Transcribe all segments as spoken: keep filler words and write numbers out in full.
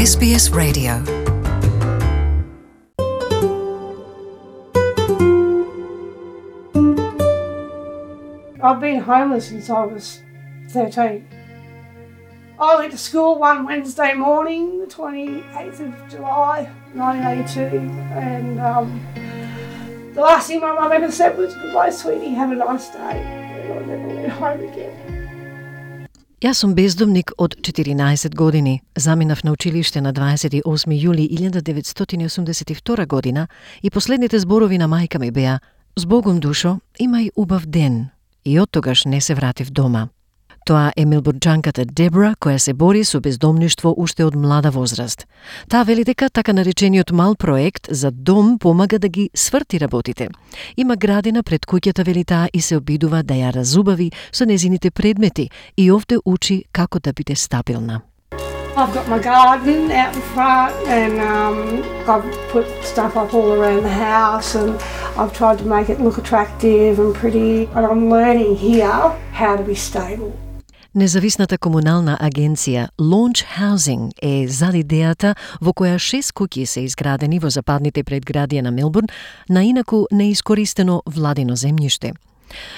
Ес Би Ес Radio. I've been homeless since I was thirteen. I went to school one Wednesday morning, the twenty-eighth of July, nineteen eighty-two, and um, the last thing my mum ever said was, "Goodbye, sweetie, have a nice day." And I never went home again. Јас сум бездомник од четиринаесет години. Заминав на училиште на дваесет и осми јули илјада деветстотини осумдесет и втора година и последните зборови на мајка ми беа: "Збогум, душо, имај убав ден." И оттогаш не се вратив дома. Тоа е мелбурџанката Дебра, која се бори со бездомништво уште од млада возраст. Таа вели дека така наречениот мал проект за дом помага да ги сврти работите. Има градина пред куќата, вели таа, и се обидува да ја разубави со незините предмети и овде учи како да биде стабилна. I've got my garden out in front, and um, I've put stuff up all around the house, and I've tried to make it look attractive and pretty, and I'm learning here how to be stable. Независната комунална агенција Launch Housing е зад идејата во која шест куќи се изградени во западните предградија на Мелбурн на инаку неискористено владино земјиште.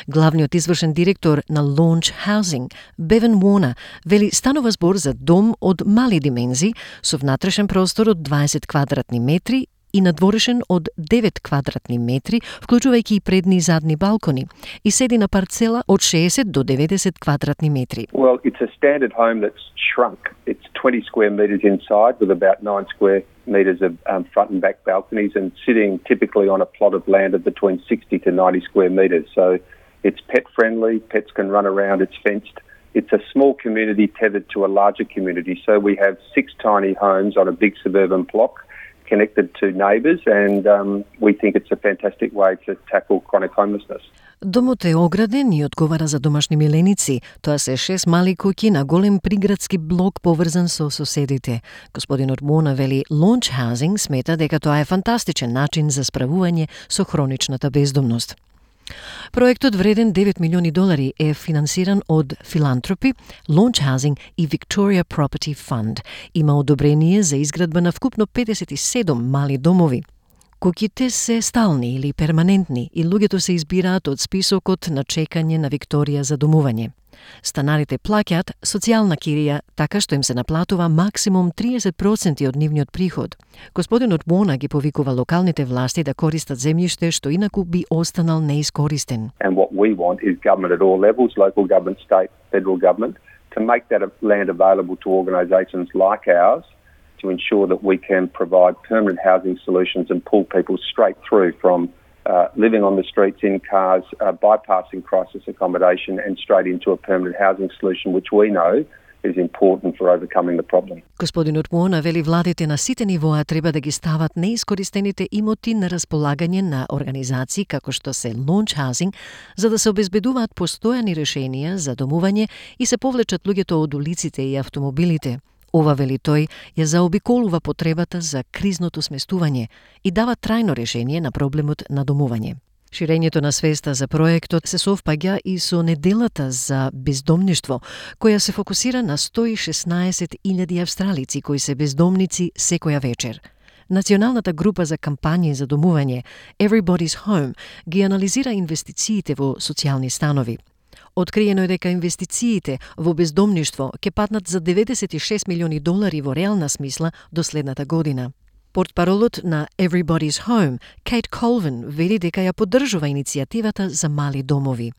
Главниот извршен директор на Launch Housing, Бевен Уорнер, вели станува збор за дом од мали димензии со внатрешен простор од дваесет квадратни метри и надворешен од девет квадратни метри, вклучувајќи и предни и задни балкони, и седи на парцела од шеесет до деветдесет квадратни метри. Well, it's a standard home that's shrunk. It's twenty square metres inside with about nine square metres of um, front and back balconies, and sitting typically on a plot of land of between sixty to ninety square metres. So it's pet friendly, pets can run around, it's fenced. It's a small community tethered to a larger community. So we have six tiny homes on a big suburban block connected to neighbours, and um, we think it's a fantastic way to tackle chronic homelessness. Домот е ограден и одговара за домашни миленици. Тоа се шест мали куќи на голем приградски блок поврзан со соседите. Господинот Мона вели Launch Housing смета дека тоа е фантастичен начин за справување со хроничната бездомност. Проектот вреден девет милиони долари е финансиран од филантропи, Launch Housing и Victoria Property Fund. Има одобрение за изградба на вкупно педесет и седум мали домови. Куќите се стални или перманентни и луѓето се избираат од списокот на чекање на Викторија за домување. Станарите плаќаат социјална кирија, така што им се наплатува максимум триесет проценти од нивниот приход. Господинот Мона ги повикува локалните власти да користат земјиште што инаку би останал неискористен. And what we want is government at all levels, local government, state, federal government, to make that land available to organisations like ours to ensure that we can provide permanent housing solutions and pull people straight through from uh, living on the streets in cars, uh, bypassing crisis accommodation and straight into a permanent housing solution, which we know is important for overcoming the problem. Господинот Муона вели владите на сите нивоа треба да ги стават неискористените имоти на располагање на организации како што се Launch Housing, за да се обезбедуваат постојани решенија за домување и се повлечат луѓето од улиците и автомобилите. Ова, вели тој, ја заобиколува потребата за кризното сместување и дава трајно решение на проблемот на домување. Ширењето на свеста за проектот се совпаѓа и со неделата за бездомништво, која се фокусира на сто и шеснаесет илјади австралици кои се бездомници секоја вечер. Националната група за кампањи за домување Everybody's Home ги анализира инвестициите во социјални станови. Откриено е дека инвестициите во бездомништво ќе паднат за деветдесет и шест милиони долари во реална смисла до следната година. Портпаролот на Everybody's Home, Кейт Колвин, вели дека ја поддржува иницијативата за мали домови.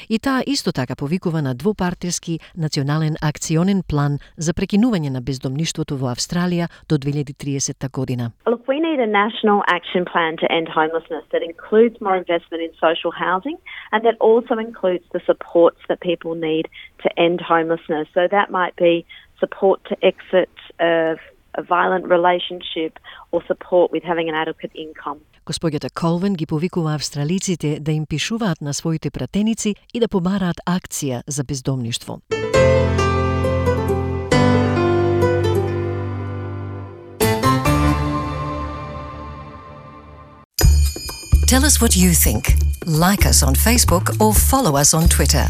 И таа исто така повикува на двопартиски национален акционен план за прекинување на бездомништвото во Австралија до две илјади и тридесета година. Look, we need a national action plan to end homelessness that includes more investment in social housing and that also includes the supports that people need to end homelessness. So that might be support to exit of a violent relationship or support with having an adequate income. Господјата Колвин ги повикува австралиците да им пишуваат на своите пратеници и да побараат акција за бездомништво. Tell us what you think. Like us on Facebook or follow us on Twitter.